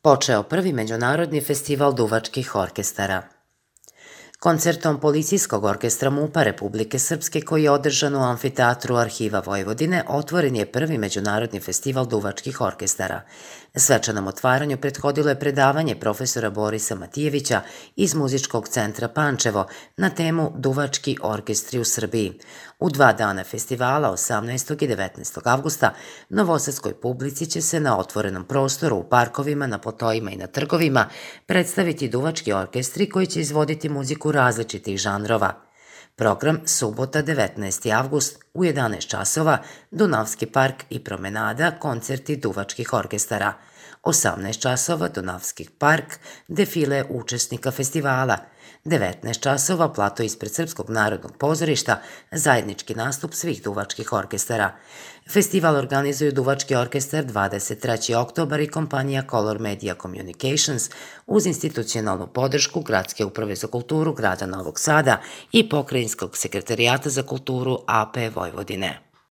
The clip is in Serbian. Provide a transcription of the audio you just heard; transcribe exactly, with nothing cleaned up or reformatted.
počeo prvi međunarodni festival duvačkih orkestara. Koncertom Policijskog orkestra MUP-a Republike Srpske, koji je održan u Amfiteatru Arhiva Vojvodine, otvoren je prvi međunarodni festival duvačkih orkestara. Svečanom otvaranju prethodilo je predavanje profesora Borisa Matijevića iz Muzičkog centra Pančevo na temu Duvački orkestri u Srbiji. U dva dana festivala, osamnaestog i devetnaestog avgusta, novosadskoj publici će se na otvorenom prostoru, u parkovima, na platojima i na trgovima predstaviti duvački orkestri koji će izvoditi muziku različitih žanrova. Program subota devetnaesti avgust u jedanaest časova, Dunavski park i promenada, koncerti duvačkih orkestara. osamnaest časova, Dunavski park, defile učesnika festivala. devetnaest časova, plato ispred Srpskog narodnog pozorišta, zajednički nastup svih duvačkih orkestara. Festival organizuju Duvački orkestar dvadeset trećeg oktobra i kompanija Color Media Communications uz institucionalnu podršku Gradske uprave za kulturu grada Novog Sada i Pokrajinskog sekretarijata za kulturu A P Vojvodine.